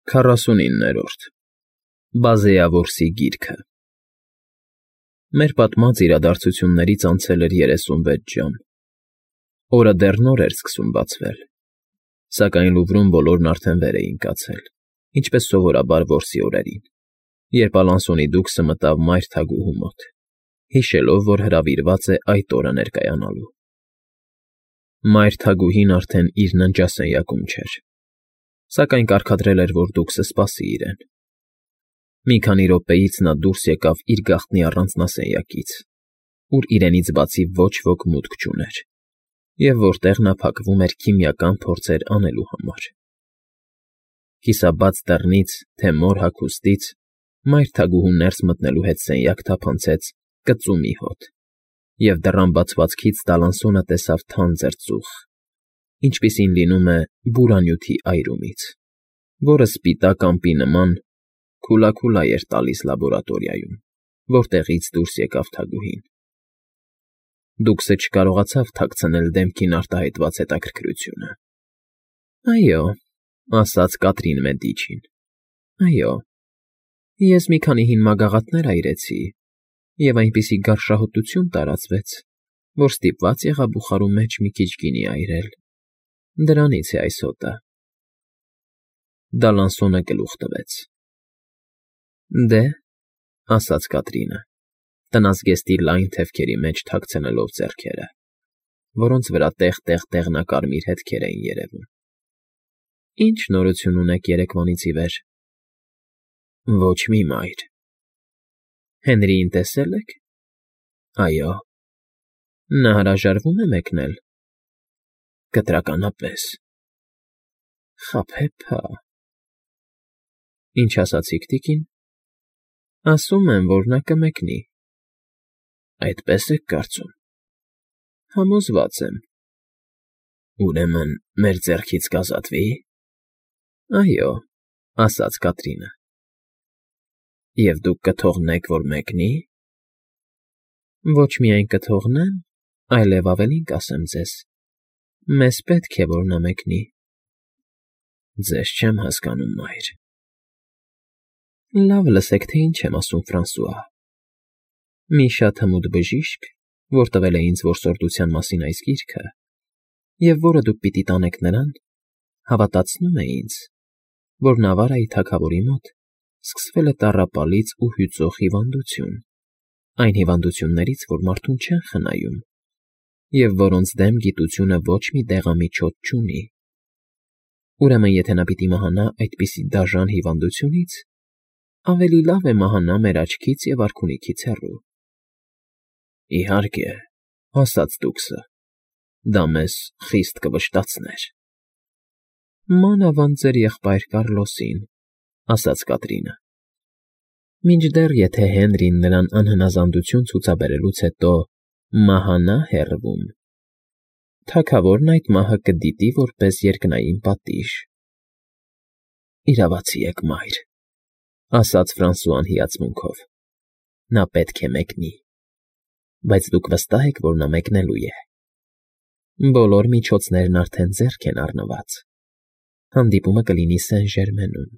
49-րդ Բազեավորսի գիրքը Մեր պատմած իրադարձություններից անցել էր 36 ժամ։ Օրը դեռ նոր էր սկսում բացվել, սակայն Լուվրում բոլորն արդեն վեր էին կացել, ինչպես սովորաբար որսի օրերին, երբ Ալանսոնի դուքսը մտավ մայր թագուհու մոտ, հիշելով, որ հրավիրված է այդ օրը ներկայանալու։ Մայր թագուհին արդեն իր ննջասենյակում չէր, սակայն կարգադրել էր, որ դուքսը սպասի իրեն։ Մի քանի րոպեից նա դուրս եկավ իր գաղտնի առանձնասենյակից, ուր իրենից բացի ոչ ոք մուտք չուներ, և որտեղ նա փակվում էր քիմիական փորձեր անելու համար։ Կիսաբաց դռնից, թե մոր հագուստից, մայր թագուհուն ներս մտնելու հետ սենյակ թափանցեց կծու մի հոտ, և դռան բացվածքից Դալանսոնը տեսավ թանձր ծուխ, ինչպիսին լինում է բուրանյութի այրումից, որը սպիտակ ամպի նման քուլաքուլա էր տալիս լաբորատորիայում, որտեղից դուրս եկավ թագուհին։ Դուքսը չկարողացավ թաքցնել դեմքին արտահայտված հետաքրքրությունը։ ֊ Այո, ֊ ասաց Կատրին Մեդիչին, ֊ այո, ես մի քանի հին մագաղաթներ այրեցի, և այնպիսի գարշահոտություն տարածվեց, որ ստիպված եղա բուխարու մեջ մի քիչ գինի այրել. դրանից է այս հոտը։ Դալանսոնը գլուխ տվեց։ ֊ Դե, ֊ ասաց Կատրինը, տնազգեստի լայն թևքերի մեջ թաքցնելով ձեռքերը, որոնց վրա տեղ֊տեղ դեղնակարմիր հետքեր էին երևում։ ֊ Ի՞նչ նորություն ունեք երեկվանից ի վեր։ ֊ Ոչ մի, մայր։ ֊ Հենրիին տեսե՞լ եք։ ֊ Այո։ ֊ Նա հրաժարվո՞ւմ է մեկնել։ ֊ Կտրականապես։ ֊ Խաբեբա։ ֊ Ինչ ասացիք, տիկին։ ֊ Ասում եմ, որ նա կմեկնի։ ֊ Այդպես եք կարծում։ ֊ Համոզված եմ։ ֊ Ուրեմն մեր ձեռքից կազատվի։ ֊ Այո, ֊ ասաց Կատրինը։ ֊ Եվ դուք կթողնեք, որ մեկնի։ ֊ Ոչ միայն կթողնեմ, այլև ավելին կասեմ ձեզ. մեզ պետք է, որ նա մեկնի։ ֊ Ձեզ չեմ հասկանում, մայր։ ֊ Լավ լսեք, թե ինչ եմ ասում, Ֆրանսուଆ։ Մի շատ հմուտ բժիշկ, որ տվել է ինձ որսորդության մասին այս գիրքը, և որը դուք պիտի տանեք նրան, հավատացնում է ինձ, որ Նավարայի թագավորի մոտ սկսվել է տառապալից ու հյուծող հիվանդություն, այն հիվանդություններից, որ մարդուն չեն խնայում, և որոնց դեմ գիտությունը ոչ մի դեղամիջոց չունի։ Ուրեմն, եթե նա պիտի մահանա այդպիսի դաժան հիվանդությունից, ավելի լավ է մահանա մեր աչքից և արքունիքից հեռու։ ֊ Իհարկե, ֊ ասաց դուքսը, ֊ դա մեզ խիստ կվշտացներ։ ֊ Մանավանդ ձեր եղբայր Կառլոսին, ֊ ասաց Կատրինը։ Մինչդեռ, եթե Հենրին նրան անհնազանդություն ցուցաբերելուց հետո մահանա հեռվում, թագավորն այդ մահը կդիտի որպես երկնային պատիժ։ ֊ Իրավացի եք, մայր, ֊ ասաց Ֆրանսուան հիացմունքով։ Նա պետք է մեկնի։ Բայց դուք վստահ եք, որ նա մեկնելու է։ Բոլոր միջոցներն արդեն ձեռք են առնված։ Հանդիպումը կլինի Սեն֊Ժերմենում,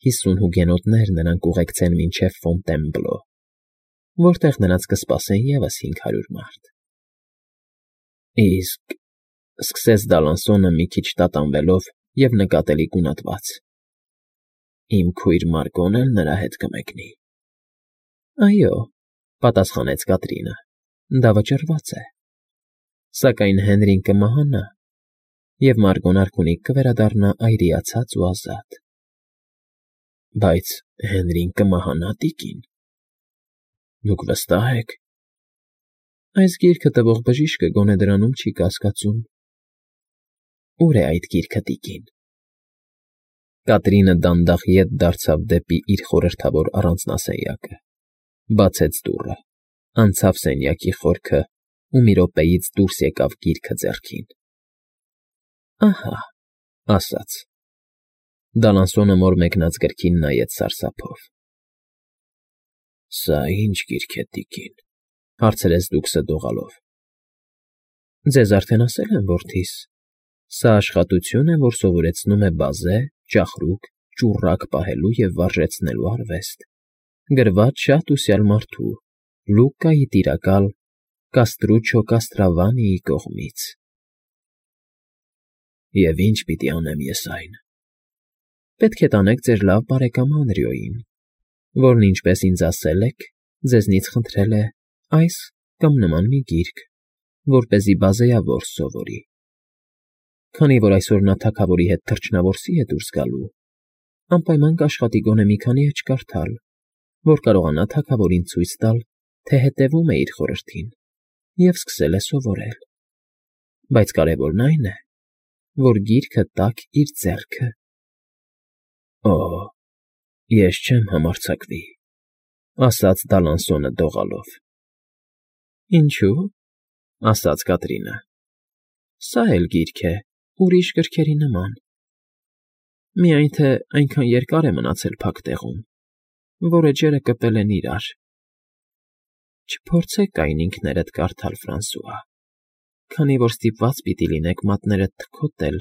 50 հուգենոտներ նրան կուղեկցեն մինչև Ֆոնտենբլո, որտեղ նրանց կսպասեն ևս 500 մարդ։ ֊ Իսկ, ֊ սկսեց Դալանսոնը մի քիչ տատանվելով և նկատելի գունատված, ֊ իմ քույր Մարգոն էլ նրա հետ կմեկնի։ ֊ Այո, ֊ պատասխանեց Կատրինը, ֊ դա վճռված է։ Սակայն Հենրին կմահանա, և Մարգոն արքունիկ կվերադառնա այրիացած ու ազատ։ ֊ Բայց Հենրին կմահանա, տիկին։ ֊ Դուք վստահ եք։ ֊ Այս գիրքը տվող բժիշկը գոնե դրանում չի կասկածում։ ֊ Ո՞ւր է այդ գիրքը, տիկին։ Կատրինը դանդաղ ետ դարձավ դեպի իր խորհրդավոր առանձնասենյակը, բացեց դուռը, անցավ սենյակի խորքը ու մի րոպեից դուրս եկավ գիրքը ձեռքին։ ֊ Ահա, ֊ ասաց։ Դալանսոնը մոր մեկնած գրքին նայեց սարսափով։ ֊ Սա ի՞նչ գիրք է, տիկին, ֊ հարցրեց դուքսը դողալով։ ֊ Ձեզ արդեն ասել եմ, որդիս, սա աշխատություն է, որ սովորեցնում է բազե, ճախրուկ, ճուռակ պահելու և վարժեցնելու արվեստ, գրված շատ ուսյալ մարդու Լուկայի տիրակալ Կաստրուչո Կաստրավանիի կողմից։ Եվ ինչ պիտի անեմ ես այն։ Պետք է տանեք ձեր լավ բարեկամ Անրիոյին, որն, ինչպես ինձ ասել եք, ձեզնից խնդրել է այս կամ նման մի գիրք, որպեսզի բազեավոր սովորի։ Քանի որ այսօր նա թագավորի հետ թռչնավորսի է դուրս գալու, անպայման կաշխատի գոնե մի քանի էջ կարդալ, որ կարողանա թագավորին ցույց տալ, թե հետևում է իր խորհրդին և սկսել է սովորել։ Բայց կարևորն այն է, որ գիրքը տաք իր ձեռքը։ Օ, ես չեմ համարձակվի, ասաց Դալանսոնը դողալով։ Ինչու՞, ասաց Կատրինը։ Սա էլ գիրք է, ուրիշ գրքերի նման։ Միայն թե այնքան երկար է մնացել փակ տեղում, որ էջերը կպել են իրար։ Չփորձեք այն ինքներդ կարդալ, Ֆրանսուଆ, քանի որ ստիպված պիտի լինեք մատներդ թքոթել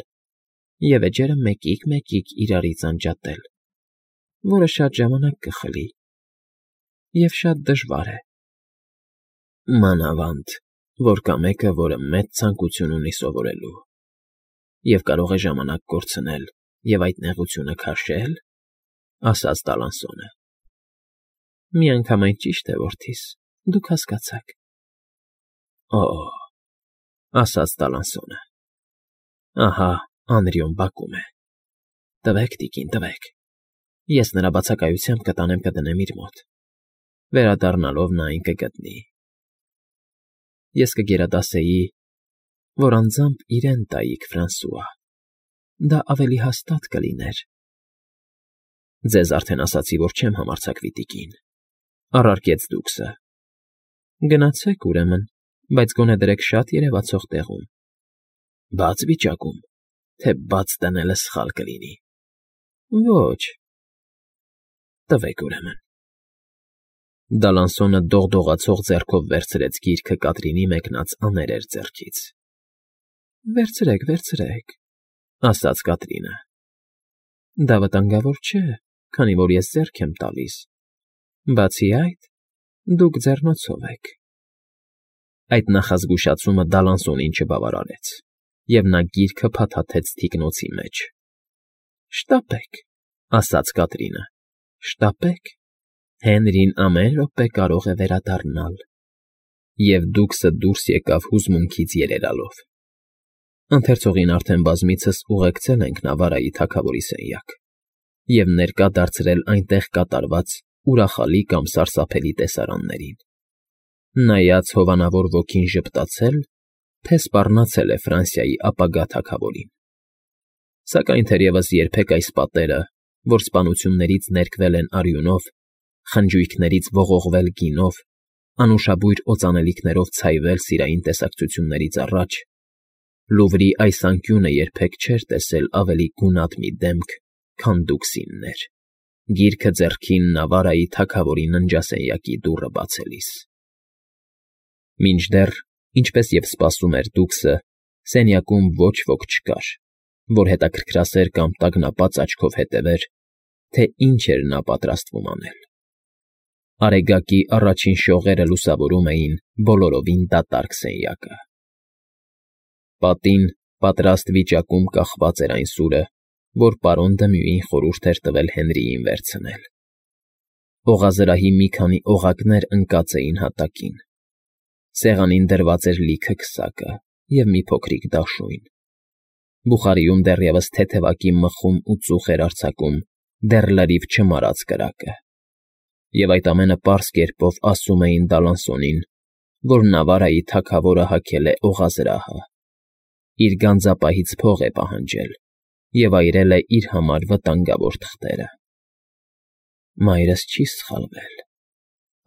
և էջերը մեկիկ իրարից անջատել, որը շատ ժամանակ կխլի և շատ դժվար է։ Մանավանդ, որ կա մեկը, որը մեծ ցանկություն ունի սովորելու և կարող է ժամանակ կորցնել և այդ նեղությունը քաշել, ասաց Դալանսոնը։ Միանգամայն ճիշտ է, որդիս, դուք հասկացաք։ Օ, ասաց Դալանսոնը։ Ահա Անրիոն բակում է։ Տվեք, տիկին, տվեք։ Ես նրա բացակայությամբ կտանեմ կդնեմ իր մոտ։ Վերադառնալով նա այն կգտնի։ Ես կգերադասեի, որ անձամբ իրեն տայիք, Ֆրանսուଆ, դա ավելի հաստատ կլիներ։ Ձեզ արդեն ասացի, որ չեմ համարձակվի, տիկին, առարկեց դուքսը։ Գնացեք, ուրեմն, բայց գոնե դրեք շատ երևացող տեղում։ Բաց վիճակում, թե բաց դնելը սխալ կլինի։ Ոչ։ Տվեք, ուրեմն։ Դալանսոնը դողդողացող ձեռքով վերցրեց գիրքը Կատրինի մեկնած աներեր ձեռքից։ Վերցրեք, վերցրեք, ասաց Կատրինը։ Դա վտանգավոր չէ, քանի որ ես ձեռք եմ տալիս։ Բացի այդ, դուք ձեռնոցով եք։ Այդ նախազգուշացումը Դալանսոնին չբավարարեց, և նա գիրքը փաթաթեց թիկնոցի մեջ։ Շտապեք, ասաց Կատրինը, շտապեք, Հենրին ամեն րոպե կարող է վերադառնալ։ Եվ դուքսը դուրս եկավ հուզմունքից երերալով։ Ընթերցողին արդեն բազմիցս ուղեկցել ենք Նավարայի թագավորի սենյակ և ներկա դարձրել այնտեղ կատարված ուրախալի կամ սարսափելի տեսարաններին։ Նայած հովանավոր ոգին ժպտացել, թե սպառնացել է Ֆրանսիայի ապագա թագավորին։ Սակայն թերևս երբեք այս պատերը, որ սպանություններից ներկվել են արյունով, խնջույքներից ողողվել գինով, անուշաբույր օծանելիքներով ցայվել սիրային տեսակցություններից առաջ, Լուվրի այս անկյունը երբեք չէր տեսել ավելի գունատ մի դեմք, քան դուքսինն էր, գիրքը ձեռքին Նավարայի թագավորի ննջասենյակի դուռը բացելիս։ Մինչդեռ, ինչպես և սպասում էր դուքսը, սենյակում ոչ ոք չկար, որ հետաքրքրասեր կամ տագնապած աչքով հետևեր, թե ինչ էր նա պատրաստվում անել։ Արեգակի առաջին շողերը լուսավորում էին բոլորովին դատարկ սենյակը։ Պատին պատրաստ վիճակում կախված էր այն սուրը, որ պարոն Դմյուին խորհուրդ էր տվել Հենրիին վերցնել։ Օղազրահի մի քանի օղակներ ընկած էին հատակին։ Սեղանին դրված էր լիքը քսակը և մի փոքրիկ դաշույն։ Բուխարիում դեռևս թեթևակի մխում ու ծուխ էր արձակում դեռ լրիվ չմարած կրակը։ Եվ այդ ամենը պարզ կերպով ասում էին Դալանսոնին, որ Նավարայի թագավորը հագել է օղազրահը, իր գանձապահից փող է պահանջել և այրել է իր համար վտանգավոր թղթերը։ Մայրս չի սխալվել,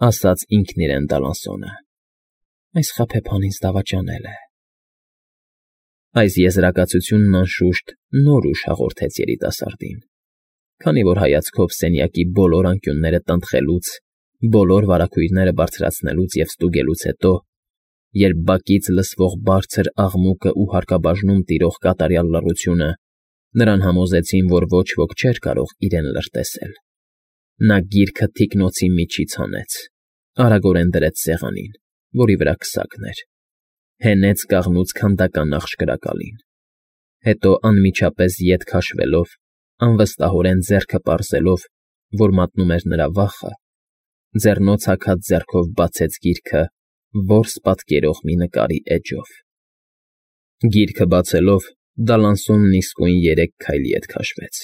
ասաց ինքն իրեն Դալանսոնը, այս խաբեբան ինձ դավաճանել է։ Այս եզրակացությունն անշուշտ նոր ուժ հաղորդեց երիտասարդին, քանի որ հայացքով սենյակի բոլոր անկյունները տնտղելուց, բոլոր վարագույրները բարձրացնելուց և ստուգելուց հետո, երբ բակից լսվող բարձր աղմուկը ու հարկաբաժնում տիրող կատարյալ լռությունը Նրան համոզեցին, որ ոչ ոք չէր կարող իրեն լրտեսել։ Նա գիրքը թիկնոցի միջից հանեց, արագորեն դրեց սեղանին, որի վրա քսակն էր, հենեց կաղնուց քանդական աղջկրակալին, հետո անմիջապես ետ քաշվելով, անվստահորեն ձեռքը պարզելով, որ մատնում էր նրա վախը, ձեռնոց հագած ձեռքով բացեց գիրքը որս պատկերող մի նկարի էջով։ Գիրքը բացելով՝ Դալանսոնն իսկույն 3 քայլ ետ քաշվեց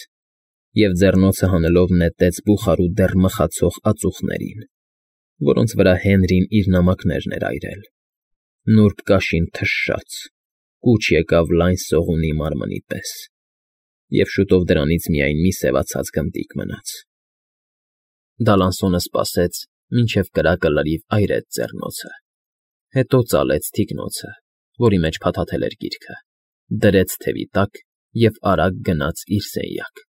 և ձեռնոցը հանելով նետեց բուխարու դեռ մխացող ածուխներին, որոնց վրա Հենրին իր նամակներն էր այրել։ Նուրբ կաշին թշաց, կուչ եկավ լայն սողունի մարմնի պես, և շուտով դրանից միայն մի սևացած գնդիկ մնաց։ Դալանսոնը սպասեց, մինչև կրակը լրիվ այրեց ձեռնոցը, հետո ծալեց թիկնոցը, որի մեջ փաթաթել էր գիրքը, դրեց թևի տակ և արագ գնաց իր սենյակ։